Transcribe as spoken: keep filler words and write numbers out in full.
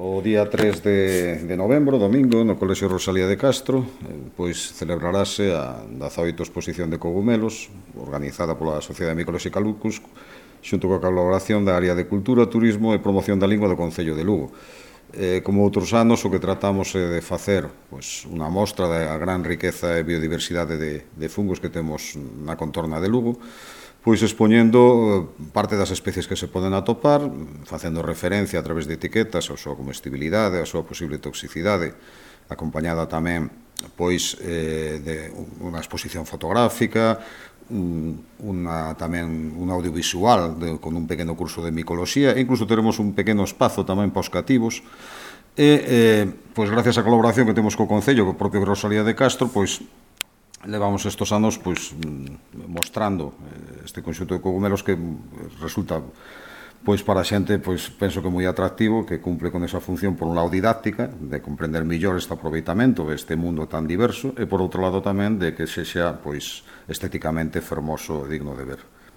O día tres de, de novembro, domingo, no Colexio Rosalía de Castro, pois celebrarase a dezaoita exposición de cogumelos, organizada pola Sociedade Micolóxica Lucus, xunto coa colaboración da área de Cultura, Turismo e Promoción da Lingua do Concello de Lugo. Eh, como outros anos, o que tratamos é de facer pois, unha mostra da gran riqueza e biodiversidade de, de fungos que temos na contorna de Lugo, pois expoñendo parte das especies que se poden atopar, facendo referencia a través de etiquetas a súa comestibilidade, a súa posible toxicidade, acompañada tamén pois eh, de unha exposición fotográfica, unha, tamén un audiovisual de, con un pequeno curso de micoloxía, e incluso teremos un pequeno espazo tamén para os cativos, e eh, pois gracias á colaboración que temos co Concello, co propio Rosalía de Castro, pois levamos estes anos pois mostrando este conxunto de cogumelos que resulta pois para a xente pois penso que moi atractivo, que cumple con esa función por un lado didáctica, de comprender mellor este aproveitamento deste mundo tan diverso, e por outro lado tamén de que sexa pois estéticamente fermoso e digno de ver.